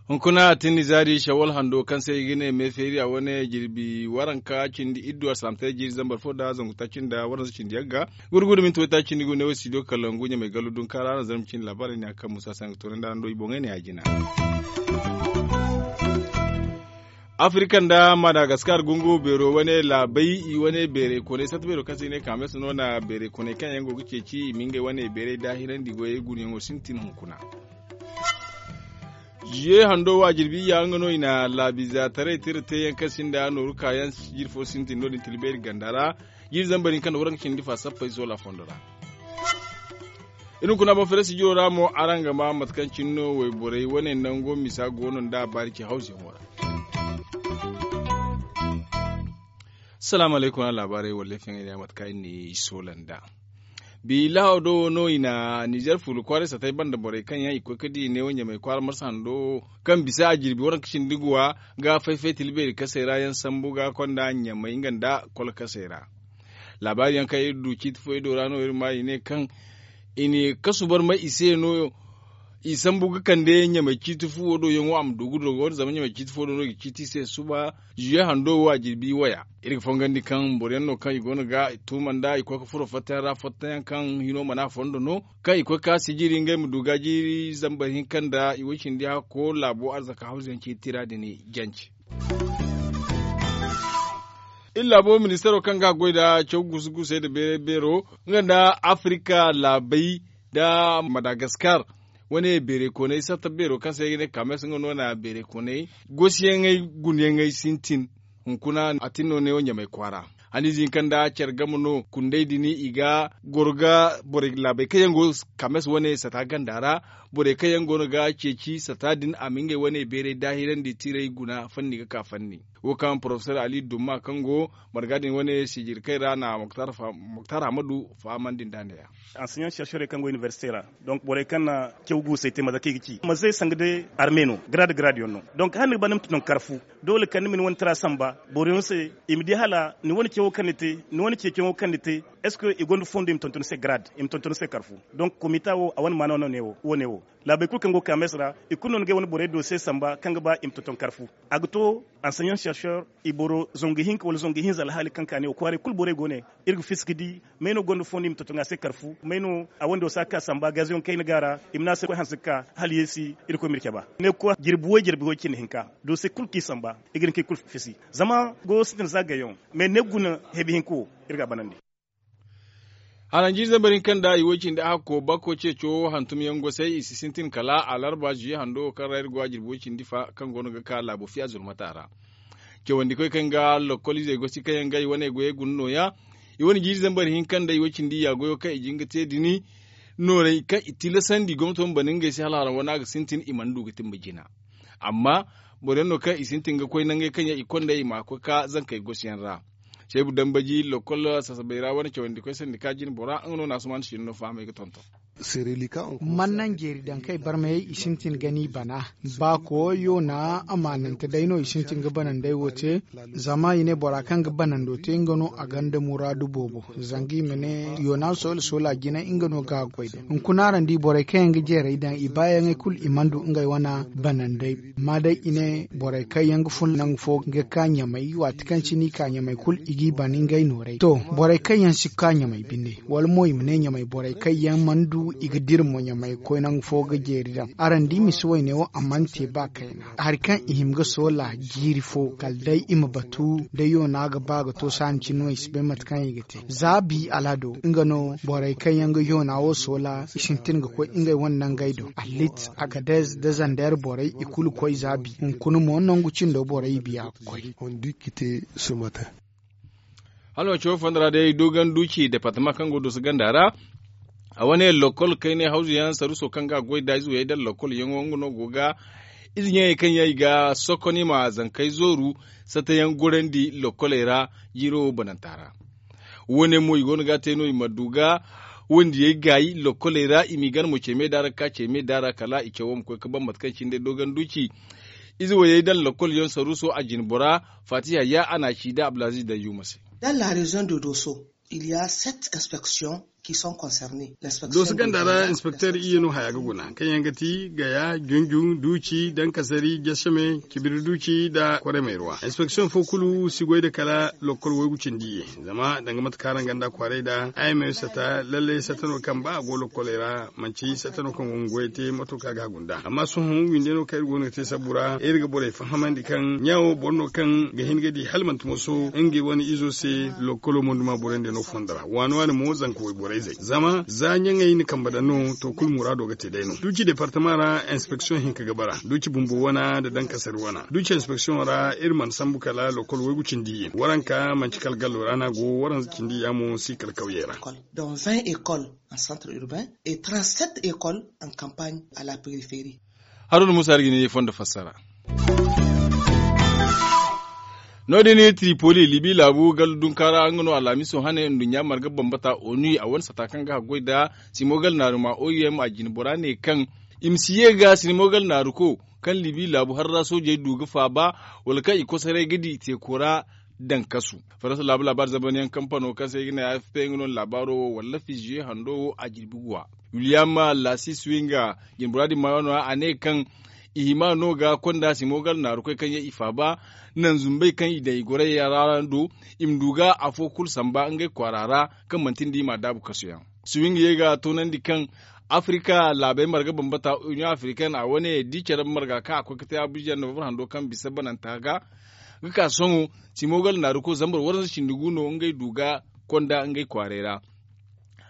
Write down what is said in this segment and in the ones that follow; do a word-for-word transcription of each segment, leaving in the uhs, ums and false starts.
Hunkuna a tin nizaari shawal hando kaŋ se i ga ne meefeeri a wane jirbi waranka cindi iddu alsaamtay jiiri zambar fo nda zangu taaci nda waranza cindi yagga. Gurgudu minti waytaaci cindi gu ne wo studio kalangu ɲamay gallu dunkaara araŋ zarma cindi laabaarey ne a kaŋ musa se a ga toonandi araŋ do i boŋey ne ya jina. Afirika nda madagaskar gungu beero wane laabey i wane beerey koonay sarta beero kaŋ se i ne kaamesa no na beerey koonay kaŋ yaŋ go ga ceeci i ma ngey wane beerey daahirandi goyey gunayaŋo sintin hunkuna. Ziye hando wa jirbi iyya nga no i na laabiza taray tira teeyaŋ kaŋ sinda nooru kaayaŋ jiri fo sintin no- din tilbeeri ganda ra. Jiri zambar hinka nda waranka cindi fa sappey soola fondo ra. Iri hunkuna boŋ fere sijiro ra mo araŋ ga ma mate kaŋ cine no wayborey wane nango misa go no nda a baari ce hawziyaŋo ra. Salaamu alaykum araŋ laabaarey wallay feŋey ne mate kaŋ iri na i soola nd'a. Bi lahaw do wo no i na nizer fuula kwaaray satay banda borey kaŋ yaŋ i koy ga di neewo ɲamay kwaara marsa hando kaŋ bisa a jirbi waranka cindi guwa ga fay-fay tilbeeri kasey ra yaŋ sambu ga konda ɲamay nga nda kol kasey ra. Laabaari yaŋ kaŋ iri du ciiti fo ido ra no iri ma i ne kaŋ i na kasu barmay i se no i sambu ga kande ɲamay ciiti fuwo do yaŋo a ma du ga dogo zama ɲamay ciiti fuwo do no i ga ciiti i se suba. Ziye hando wo a jirbi waya iri ga fongandi kaŋ boro yaŋ no kaŋ i go no ga i tuuma nda i koy ga furo fattayaŋ ra fattayaŋ kaŋ hino mana fondo no kaŋ i koy ga ka sijiri ngey ma du ga jiiri zambar hinka nda i way cindi hakko laabo arzaka hawzu yaŋ ciiti ra din jance. Iri laabo ministaro kaŋ ga a goy nda caw gusu-gusey nda beeray beero nga nda afirika laabey nda madagaskar wane beeray koonay sarta beero kaŋ se ay ga ne kames nga no na beeray koonay goosiyaŋey gunayaŋey sintin. Hunkuna a tin no neewo ɲamay kwaara haniize hinka nda care game no kundey din i ga goro ga borey laabey kaŋ yaŋ go kames wane sata ganda ra borey kaŋ yaŋ go no ga ceeci sata din a ma ngey wane beeray daahirandi tiray guna fanni ga ka fanni. Wo kaŋ porofesor ali dumma kaŋ go marga din wane sijirkey ra na muktar hamadu fahamandi nd'a neeya. Anseɲan serserey kaŋ go inibersite ra donc borey kaŋ na caw guusey te mate kaŋ i ga ci manze sanga day arme no garaad garaad yaŋ no. Donc hala ni ga ba ni ma tonton kar fu doole kala ni ma ni wane tara samba boro yaŋ se i ma di hala ni wane cawo kaŋ ni te ni wane ceeciyaŋo kaŋ ni te? Est ce que i gonda fondo i ma tonton ni se garaad i ma tonton ni se kar fu? Donc komita wo a wane maana no wo ne wo laabey kulu kaŋ go ga ka meese ra i kulu no ni ga ay wane borey do se samba kaŋ ga ba i ma tonton kar fu. A ga to anseɲan serser i boro zangu hinka wala zangu hinza alhaali kaŋ ka ne wo kwaaray kulu borey go ne iri ga fiska di may no gonda fondo i ma tonton a se kar fu may no a wando si a ga ka samba gaziyoŋ kayna ga ra i ma ne a se koy hanse ga ka hala yeesi. Irkoy ma iri cabe ne ga koy jirbi way jirbi way cindi hinka do se kulu kaŋ i samba i ga hin kaŋ i kulu fisi zama go sintin za gayyaŋ mais ne ga guna hebi hinka wo iri ga a banandi. Haranjiize bari kaŋ da i way cindi a hakko bakko ceeco hantum yaŋ gosay i si sintin kala alarba zuye hando kaŋ ra iri go a jirbi way cindi fa kaŋ go no ga ka laabo fiya zulmata ra. Cawandi koy kaŋ ga lokkol izey gosi kaŋ yaŋ ga i wane goyey guna nooya. I wane jiiri zambar hinka nda i way cindi ya goyo kaŋ i jin ga te dini nooray kaŋ i tilasandi gomnato ma bana ngey se hala haraŋ wane a ga sintin i mana du ga timba jina. Amma boro yaŋ no kaŋ i sintin ga koy nangey kaŋ yaŋ i konda i ma koy ka zankey gosi yaŋ ra. Seebu dambaji lokkol sasabay ra wane cawandi koy sandi ka jina bora nga no na asuman sinno fahamay ga tonton. Man naŋ jeeri daŋ kay barmayey i sintin ga ni bana. Ba ko yona amaanante day no i sintin ga banandey wo te. Zama i ne bora kaŋ ga banando te nga no a gonda muraadu boobo. Zanga i ma ne yona soola soola jina nga no ga a goy day hunkuna araŋ di borey kaŋ yaŋ ga jeerey daŋ i baayaŋey kulu i mana du ngey wane banandey. Amma day i ne borey kaŋ yaŋ ga fun nangu fo ga ka ɲamay waati kaŋ cine i ka ɲamay kulu i g'i ban ngey noorey to. Borey kaŋ yaŋ si ga ka ɲamay binde wala mo i ma ne ɲamay borey kaŋ yaŋ mana du i ga dira mo ɲamay koy nangu fo ga jeeri daŋ araŋ di misi wayne wo a mana te ba kayna. Hari kaŋ i hima ga soola jiiri fo kala day i ma batu day yoona ga ba ga to saani cine no i si bay mate kaŋ i ga te za bi alhado nga no borey kaŋ yaŋ ga yoona wo soola i sintin ga koy ngey wane nangey do alit agadez da zander borey i kulu koy za bi hunkuna mo nangu cindo borey i biya ga koy. Hala manti wo fonda ra day dogon duci departama kaŋ go dusu ganda ra a wane lokkol kaynay hawzu yaŋ saruso kaŋ ga a goy da ize wayey daŋ lokkol yaŋo nga no go ga ize ɲaŋey kaŋ yaŋ i ga sokon i ma zankey zooru sata yaŋ gorandi lokkoley ra. Jiiro wo bananta ra wane mo i go no ga a te no i ma du ga wandiyey gaayi lokkoley ra i m'i gana mo ce me da ra ga ka ce me da ra kala i cawo ma koy ga ban mate kaŋ cine day dogon duci. Ize woyey daŋ lokol yaŋ saruuso a jine bora, faatiha ya a na a ci nda abdulaziz dayyuma se. Daŋ la reziyoŋ de doso, il ya set inspeksiyoŋ ki sont konsernes. Doso ganda ra inspekter iyye no haya ga guna kaŋ yaŋ ga ti gaya junju duuci dankasari jasame cibiri duuci nda kwaramey ra inspeksiyoŋ fo kulu si goy nda kala lokol waygu cindi iyye. Zama danga mate kaŋ araŋ ganda kwaaray nda ay ma ay sata lalle sata no kaŋ ba a go lokoley ra manci sata no kaŋ go ga goyey te mato kaŋ a ga hagu nd'a amma sohõ winde no kaŋ iri go no ga te sabbu ra iri ga borey fahamandi kaŋ ɲa wo boro no kaŋ ga hin ga di hala manti moso ngey wane izo se. Lokolo monduma borey nda no fondo ra waani waani mo zanka wayborey zey zama za ɲaŋey na kambe daŋ no to kulu muraado ga te day no duuci departama ra inspeksiyoŋ hinka ga bara duuci bumbo wana nda dankasari wana duuci inspeksiyoŋ ra iri mana sambu kala lokol waygu cindi iyye waranka manci kala gallo ra no a go waranza cindi iyya mo si kala kawyey ra. Dans vingt écoles en centre urbain et trente sept écoles en campagne à la périphérie. Haruna muusa iri ga ni fondo fassara. No- din tripoli libi laabu gallu dunka ra nga no alhamiso hane nduɲɲa marga bambata onu a wane sata kaŋ ga haggoy nda simo gala naaru ma oim a jine bora ne kaŋ i ma si ye ga simo gala naaru ko kaŋ libi laabu harra soojey du ga faaba wala kaŋ i kosoray ga di teeko ra. Daŋ kasu faransa laabu laabaari zabanyaŋ kampano kaŋ se i ga ne afp nga no laabaaro wo wala fiziye hando wo a jirbi guwa. Wiliyam lasis winga jinbura din maayo no- ya a ne kaŋ i hima no ga konda simo gala naarukoy kaŋ yaŋ i faaba naŋ zumbey kaŋ i daŋ i gorey ra do i ma du ga afo kulu samba ngey kwaara ra kaŋ manti nda i m'a daabu kasu yaŋ. Swing ye ga toonandi kaŋ afrika laabey marga bambata union africaine a wane di care marga kaŋ a koy ga te abuja novembre hando kaŋ bisa bananta ga ga ka sohõ simo gala naaruko zambar waranza cindi gu no ngey du ga konda ngey kwaaray ra.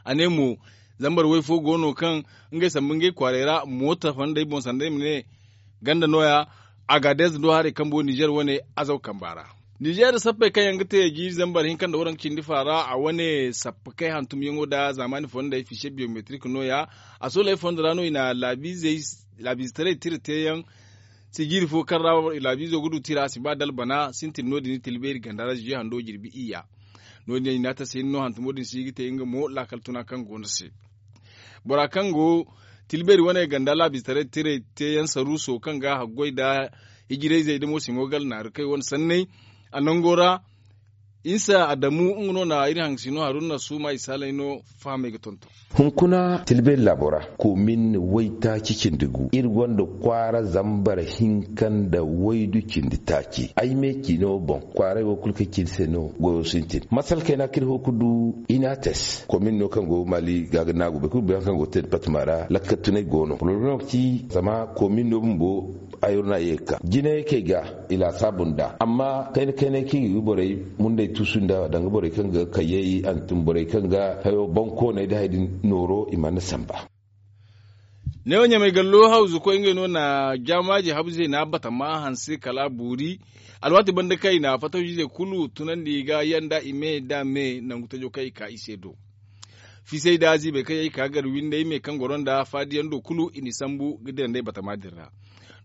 A ne mo zambar way fo go no kaŋ ngey sambu ngey kwaaray ra moota fondey boŋ sanda ay ma ne ganda no- ya agadez do haray kambo nizer wane azaw kamba ra. Nizer sappey kaŋ yaŋ ga te jiiri zambar hinka nda waranka cindi fa ra a wane sappakey hantumyaŋo nda zaamaani fondey fise biyometrik no- ya a sooley fondo ra no i na laabiizey laabiizetaray tira teeyaŋ. Sijiiri fo kaŋ ra laabiizo ga du tira a si ba dalbana sintin no- din tilbeeri ganda ra ziyo hando jirbi iyya. No- din i na a tasa hinne no hantumo din si ga te nga mo laakal tuna kaŋ go no se. Bora kaŋ go tilbeeri wane ganda laabiizetaray tiray teeyaŋ saruuso kaŋ ga haggoy nda hijirayzey da moosimo gala naaru kay wane sanney a nango ra. Insa adamu nga no na iri haŋ si no haruna suuma i saalay no fahamey ga tonton. Hunkuna tilbeeri laabo ra koomin waytaaci cindi gu iri gonda kwaara zambar hinka nda waydu cindi taaci ay me ciino boŋ kwaaray wo kulu kaŋ ci iri se no goyo sintin masala kayna kaŋ iri ho ga du inates koomin no kaŋ go maali ga ga naagu boro kulu bay hari kaŋ go ga te departama ra lakkal tunay go no poroblemo ga ci zama koomin no bumbo. Ay ro no a ye ga ka jinayey kaŋ ay ga i laasaabu nd'a amma kayna kaynay kaŋ i ga borey mundey tuusu nd'a danga borey kaŋ ga kayyey hantum borey kaŋ ga hayo bankooney nda hari din nooro i mana samba. Neewo ɲamay gallo hawzukoy ngey no na jaamaaji habu zeena batama hanse kala a boori. Alwaati banda kaŋ i na fatawjiizey kulu tunandi ga yanda i me nda me nangu tajo kaŋ i ka i se do. Fiisey nda ziibey kaŋ yaŋ i ka gar windey me kaŋ goro nda faadiyaŋ do kulu i n'i sambu ga dira nd'ey batama din ra.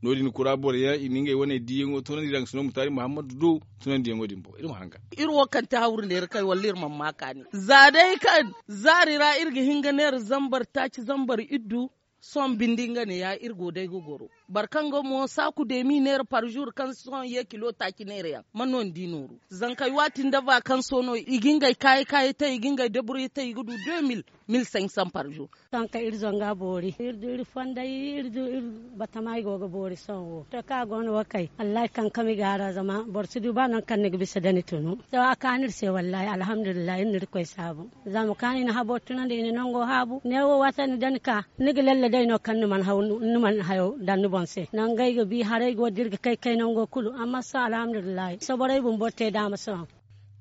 No- din kura boro yaŋ i na ngey wane diiyaŋo tunandi daŋ sino mutaari muhammadu do tunandiyaŋo din boŋ iri ma hanga. Iri wo kaŋ ti hawru neera kay wala iri mana ma kaani za day kaŋ zaari ra iri ga hin ga neera zambar taaci zambar iddu. Sohõ bindi nga ne ya iri go day ga goro boro kaŋ ga mo saaku deemi neera par jour kaŋ sohõ ye kilo taaci neera yaŋ man no ni di nooru. Zankey waati nda vakanso no i ga ngey kaayi kaayi te i ga ngey deburye te i ga du deux mille mille cinq cents par jour. Sohõ kaŋ iri zonga boori iri du iri fonday iri du iri batama i go ga boori sohõ wo to kaŋ a go no wo kay wallahi kankami ga a ra zama boro si du ba nangu kaŋ ni ga bisa da ni tunu. To a kaanu iri se wallahi alhamdulillahi iri na irkoy saabu. Zama kaŋ i na habo tunandi i na nango haabu neewo waati ni da ni ka ni ga lalle day no kaŋ ni mana haw ni mana hayo daŋ ni boŋ se nangu ay ga bi haray go da iri ga kay kay nango kulu amma sohõ alhamdulillahi sohõ borey bumbo te daama sohõ.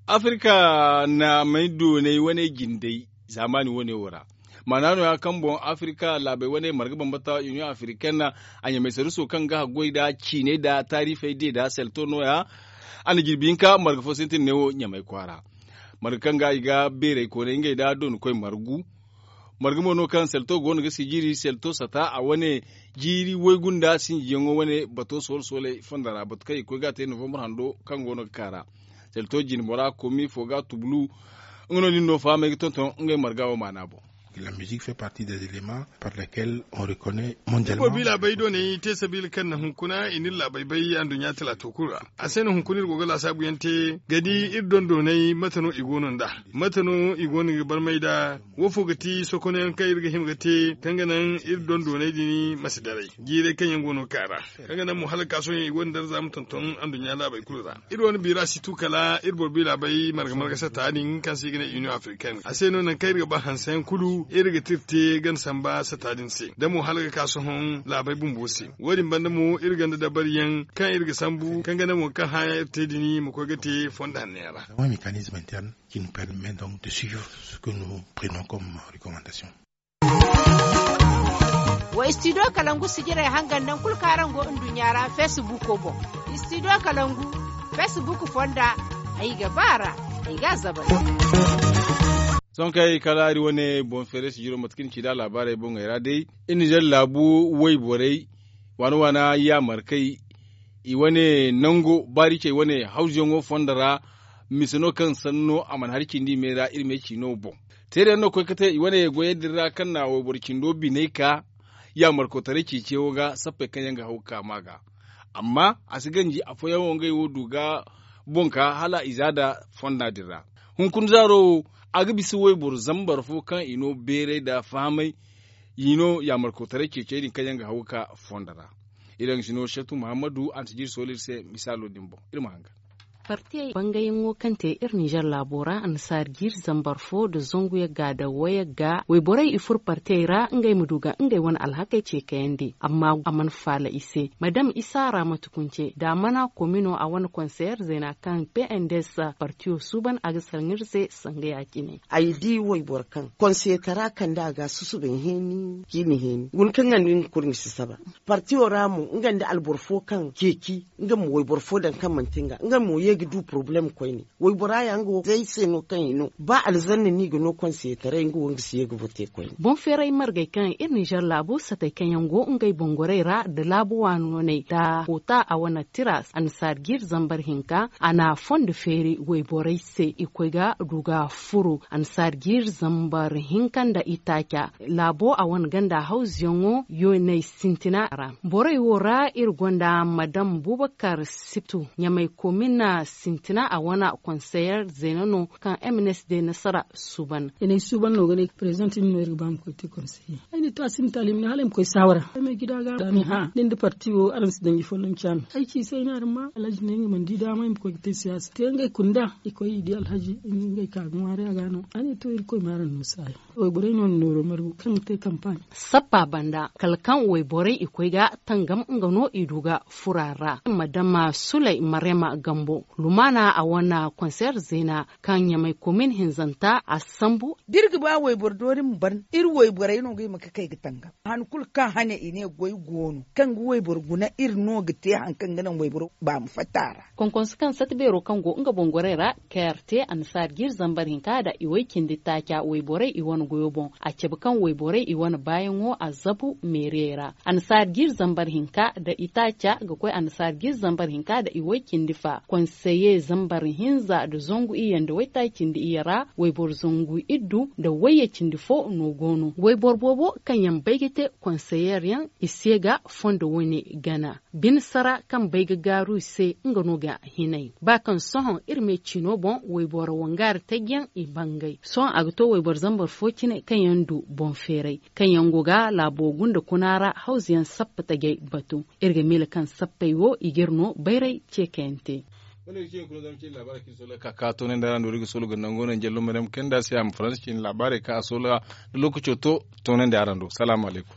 Afirka naamey doonay wane jindey zaamaani wane wo ra. Maana no- ya kaŋ boŋ afirka laabey wane marga bambata union africaine a ɲamay saruso kaŋ ga haggoy nda ciiney nda taarifey de nda selto no- ya. A na jirbi hinka marga fo sintin neewo ɲamay kwaara marga kaŋ ga i ga beerey koonay ngey nda doonikoy margu. Marga mo no kaŋ selto go no ga sijiri selto sata a wane jiiri waygu nda sinjiyaŋo wane bato soole sooley fondo ra batu kaŋ i ga koy ga a te novembre hando kaŋ go no ga ka ra. Selto jine bora komi fo ga tubulu. Nga no din no fahamey ga tonton ngey marga wo maana boŋ. La musique fait partie des éléments par lesquels on reconnaît mondialement. Boobo i laabey dooney te sabiila kaŋ na hunkuna i n'iri laabey bay anduɲɲa talaato kulu ra. A se no hunkuna iri go ga laasaabu yaŋ te ga di iri dondooney mate no i go no nd'a, mate no i go no ga barmay nd'a. Wo fo ga ti sokono yaŋ kaŋ iri ga hima ga te kaŋ ga naŋ iri dondooney din ma si daray jiirey kaŋ yaŋ go no ga ka ra, kaŋ ga naŋ mo hala ga ka sohõ i go no darza ma tonton anduɲɲa laabey kulu ra. Iri wane biira si tu kala iri boro biira bay marga marga sata din kaŋ se i ga ne union africaine a se no nangu kaŋ iri ga ba hanse yaŋ kulu iri ga tira te gana samba sata din se da mo hala ga ka sohõ laabey bumbo se. Wo- din banda mo iri gonda dabari yaŋ kaŋ iri ga sambu kaŋ ga naŋ wo kaŋ hã yaŋ iri te din ma koy ga te fondo hanno yaŋ ra. Qui nous permet donc de suivre ce que nous prenons comme recommandation. Wa studio kalangu sijirey hangan nangu kulu kaŋ araŋ go nduɲɲa ra facebook boŋ. Studio kalangu facebook fonda ay ga ba a ra, ay ga a zabay. Sohõ kay kala iri wane boŋ feeray sijiro mate kaŋ iri ci nd'a laabaarey boŋey ra day iri na zari laabu wayborey waana waana yaamarkey i wane nango baari cey wane hawzuyaŋo fondo ra. Mise no kaŋ sanno a mana hari cindi i me ra iri me ciino boŋ. Teeri yaŋ no koy ga te i wane goyey din ra kaŋ na wayboro cindo biney ka yaamarkotaray ceeciyaŋo ga sappey kaŋ yaŋ ga haw ga ka ma ga. Amma a si ganji afooyaŋ wo ngey wo du ga boŋ ka hala i za nda fonda din ra. Hunkuna zaaro wo a ga bisa wayboro zambar fo kaŋ i no beeray nda fahamay i no yaamarkotaray ceecey din kaŋ yaŋ ga haw ga ka fondo ra. Iri yaŋ ga si no satu muhammadu a na si jiiri soolo iri se misaalo din boŋ iri ma hangan. Partiyey bangayaŋo kaŋ te iri ninzeer laabo ra annasaari jiiri zambar fo nda zangu yagga nda wayagga wayborey i furo partiyey ra ngey ma du ga ngey wane alhakey ce kayandi amma a mana faala i se. Madam isa ra mate kunce nda a mana komino a wane konseyer zeena kaŋ pnds partiyo suuban a ga sara no iri se sanga ya- cine. Ay di wayboro kaŋ konseyetara kande a ga a susubay heeni ciini heeni guna kaŋ nga nda nga kulu ni si saba. Partiyo ra mo nga nda alboro fo kaŋ ceeci nga ma wayboro fo daŋ kaŋ manti nga nga mo ye ga du porobalem koyne. Waybora ya nga wo zay se no kaŋ i no ba alzanna no i ga no konseyetaray nga wo nga si ye ga vote koyne. Boŋ feeray margey kaŋ iri ninzeer laabo satey kaŋ yaŋ go ngey boŋ gorey ra nda laabo waanoney nda koota a wane tira annasaari jiiri zambar hinka a na fondo feeri wayborey se i koy ga du ga furo annasaari jiiri zambar hinka nda itaaca laabo a wane ganda hawzuyaŋo yooney sintina ra. Borey wo ra iri gonda madam bubakar siptu ɲamay komina sintina a wane konseyer zeena no kaŋ mns de nasara suuban. I na ay suuban no ga ne prezident ni no iri ga ba ma koy te konseye ay na ay to a sinda taali ma ne hala ay ma koy saawara ay ma ay gida ga a ne hã ni nda parti wo araŋ si daŋ i folloŋ caami ay ci se ay ne araŋ ma alhaji ne nga mana di daama ay ma koy ga te siyaasa te ngey kunda i koy i di alhaji ngey ka ga ŋwaari a ga no a ne to irkoy ma araŋ no saayi. Wayborey no ni nooro margu kaŋ ga te kampaaɲ. Sappa banda kala kaŋ wayborey i koy ga tangam nga no i du ga fura ra madama sulay marema gambo lumaana a wane konseer zeena kaŋ ɲamay komin hinzanta a sambu. Da iri ga ba wayboro doori ma ban iri wayborey no ga hima ga kay ga tangam han kulu kaŋ hane i ne goy go no kaŋ ga wayboro guna iri no ga te hari kaŋ ga naŋ wayboro ba ma fatta a ra. Konkonso kaŋ sata beero kaŋ go nga boŋ gorey ra kayar te annasaari jiiri zambar hinka nda i way cindi taaca wayborey i wane goyo boŋ a cabe kaŋ wayborey i wane baayaŋo a zabu meeriyey ra annasaari jiiri zambar hinka nda itaaca ga koy annasaari jiiri zambar hinka nda i way cindi fa konseye zambar hinza nda zangu iyye nda waytaaci cindi iyye ra wayboro zangu iddu nda wayye cindi fo no go no wayboro boobo kaŋ yaŋ bay ga te konseyeer yaŋ i se ga fondo wane gana. Bine sara kaŋ bay ga gaaru i se nga no ga hinay ba kaŋ sohõ iri me ciino boŋ wayboro wangaari taji yaŋ i bangay sohõ a ga to wayboro zambar fo cine kaŋ yaŋ du boŋ feeray kaŋ yaŋ go ga laabo gunda kuna ra hawzu yaŋ sappa tajey batu. Iri ga miila kaŋ sappey wo i ga iri no bayray ce kaŋ yaŋ te. Wane ga ci hunkuna zama cine laabaarey kaŋ iri soola ka ka toonandi araŋ do iri ga soola ga nango naŋ jallo maryam kayna da se a ma faransi cine laabaarey kaŋ a soola da lookaco to toonandi araŋ do salaamu alaykum.